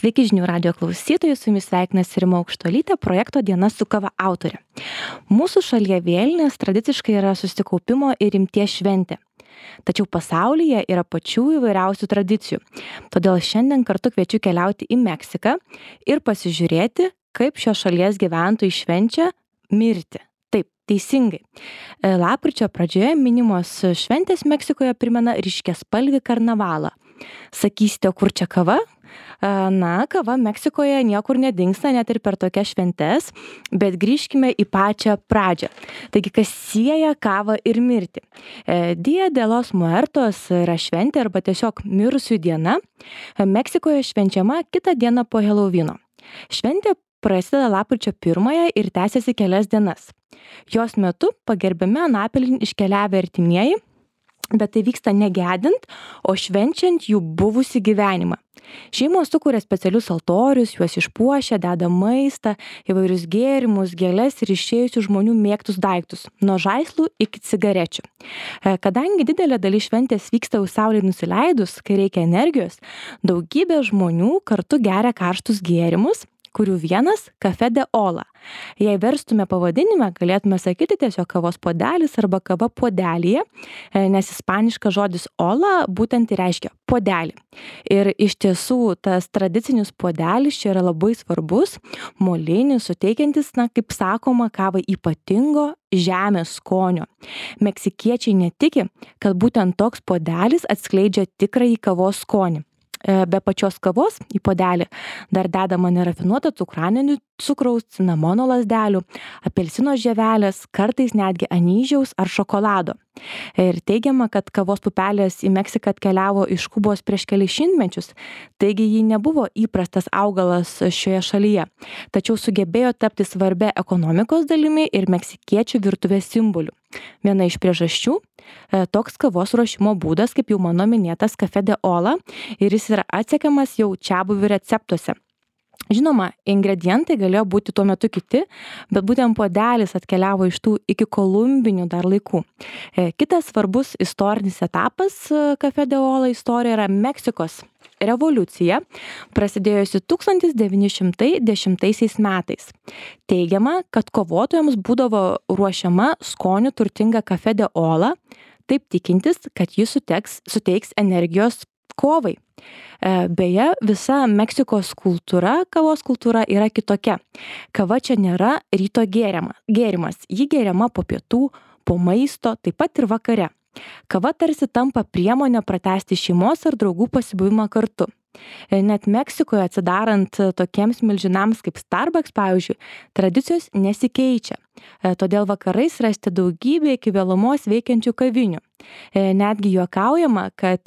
Sveiki žinių radijo klausytojai, su jumis sveikinasi Rima Aukštuolytė, projekto Diena su kava autorė. Mūsų šalyje vėlinės tradiciškai yra susikaupimo ir rimties šventė. Tačiau pasaulyje yra pačių įvairiausių tradicijų. Todėl šiandien kartu kviečiu keliauti į Meksiką ir pasižiūrėti, kaip šios šalies gyventojai švenčia mirtį. Taip, teisingai. Lapkričio pradžioje minimos šventės Meksikoje primena ryškiaspalvį karnavalą. Sakysite, kur čia kava? Na, kava Meksikoje niekur nedingsta net ir per tokias šventes, bet grįžkime į pačią pradžią. Taigi, kas sieja kavą ir mirtį? Dia de los Muertos yra šventė arba tiesiog mirusių diena. Meksikoje švenčiama kitą dieną po Helovyno. Šventė prasideda lapkričio 1 ir tęsiasi kelias dienas. Jos metu pagerbiami anapilin iškeliavę artimieji, bet tai vyksta negedint, o švenčiant jų buvusį gyvenimą. Šeimos sukuria specialius altorius, juos išpuošia, deda maistą, įvairius gėrimus, gėles ir išėjusių žmonių mėgtus daiktus, nuo žaislų iki cigarečių. Kadangi didelė dalis šventės vyksta jau saulei nusileidus, kai reikia energijos, daugybė žmonių kartu geria karštus gėrimus, kurių vienas Café de Olla. Jei verstume pavadinime, galėtume sakyti tiesiog kavos puodelis arba kava puodelyje, nes ispaniškas žodis olla būtent ir reiškia puodelį. Ir iš tiesų tas tradicinis puodelis čia yra labai svarbus, molinis, suteikiantis, kaip sakoma, kavai ypatingo žemės skonio. Meksikiečiai netiki, kad būtent toks puodelis atskleidžia tikrąjį kavos skonį. Be pačios kavos į puodelį dar dedama nerafinuoto cukraninių cukraus, cinamono lazdelių, apelsino žievelės, kartais netgi anyžiaus ar šokolado. Ir teigiama, kad kavos pupelės į Meksiką atkeliavo iš Kubos prieš kelis šimtmečius, taigi ji nebuvo įprastas augalas šioje šalyje, tačiau sugebėjo tapti svarbia ekonomikos dalimi ir meksikiečių virtuvės simboliu. Viena iš priežasčių - toks kavos ruošimo būdas, kaip jau mano minėtas Café de Olla, ir jis yra atsekamas jau čiabuvių receptuose. Žinoma, ingredientai galėjo būti tuo metu kiti, bet būtent puodelis atkeliavo iš tų iki kolumbinių dar laikų. Kitas svarbus istorinis etapas Café de Olla istorijoje yra Meksikos revoliucija, prasidėjusi 1910 metais. Teigiama, kad kovotojams būdavo ruošiama skonių turtinga Café de Olla, taip tikintis, kad jis suteiks energijos kovai. Beje, visa Meksikos kultūra, kavos kultūra yra kitokia. Kava čia nėra ryto gėrimas. Ji geriama po pietų, po maisto, taip pat ir vakare. Kava tarsi tampa priemonė pratęsti šeimos ar draugų pasibuvimą kartu. Net Meksikoje atsidarant tokiems milžinams kaip Starbucks, pavyzdžiui, tradicijos nesikeičia. Todėl vakarais rasti daugybę iki vėlumos veikiančių kavinių. Netgi juokaujama, kad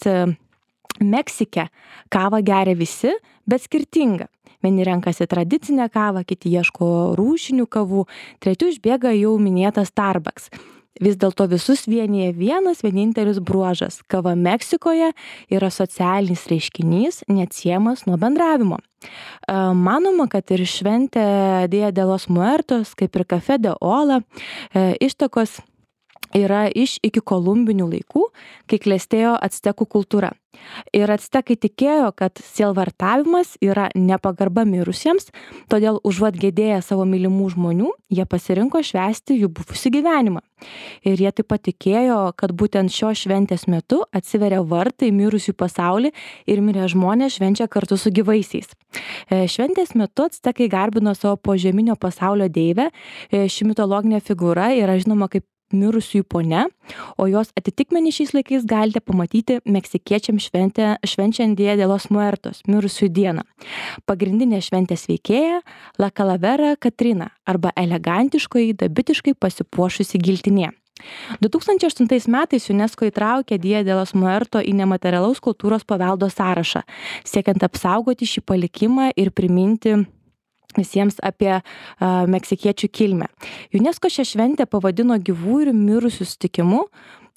Meksike kavą geria visi, bet skirtinga. Vieni renkasi tradicinę kavą, kiti ieško rūšinių kavų, trečių išbėga jau minėtas Starbucks. Vis dėlto visus vienyje vienas vienintelis bruožas - kava Meksikoje yra socialinis reiškinys, neatsiejamas nuo bendravimo. Manoma, kad ir šventė Dia de los Muertos, kaip ir Café de Olla, ištakos yra iš iki kolumbinių laikų, kai klestėjo actekų kultūra. Ir actekai tikėjo, kad sielvartavimas yra nepagarba mirusiems, todėl užuot gėdėję savo mylimų žmonių, jie pasirinko švęsti jų buvusį gyvenimą. Ir jie taip pat tikėjo, kad būtent šios šventės metu atsiveria vartai mirusių pasaulį ir mirę žmonės švenčia kartu su gyvaisiais. Šventės metu actekai garbino savo požeminio pasaulio deivę. Ši mitologinė figūra yra žinoma kaip mirusiųjų ponia, o jos atitikmenį šiais laikais galite pamatyti meksikiečiams švenčiant Dia de los Muertos, mirusiųjų dieną. Pagrindinė šventės veikėja - La Calavera Catrina arba elegantiškoji, dabitiškai pasipuošusi giltinė. 2008 metais UNESCO įtraukė Dia de los Muertos į nematerialaus kultūros paveldo sąrašą, siekiant apsaugoti šį palikimą ir priminti visiems apie meksikiečių kilmę. UNESCO šią šventę pavadino gyvų ir mirusių sutikimu,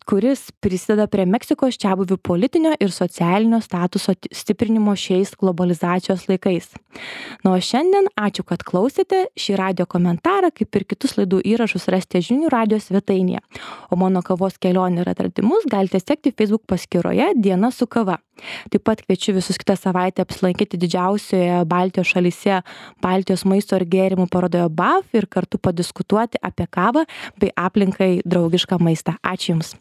kuris prisideda prie Meksikos čiabuvių politinio ir socialinio statuso stiprinimo šiais globalizacijos laikais. Na, o šiandien ačiū, kad klausėte. Šį radio komentarą, kaip ir kitus laidų įrašus, rasite žinių radio svetainėje. O mano kavos kelionę ir atradimus galite sekti Facebook paskyroje Diena su kava. Taip pat kviečiu visus kitą savaitę apsilankyti didžiausioje Baltijos šalyse Baltijos maisto ir gėrimų parodoje BAF ir kartu padiskutuoti apie kavą bei aplinkai draugišką maistą. Ačiū Jums.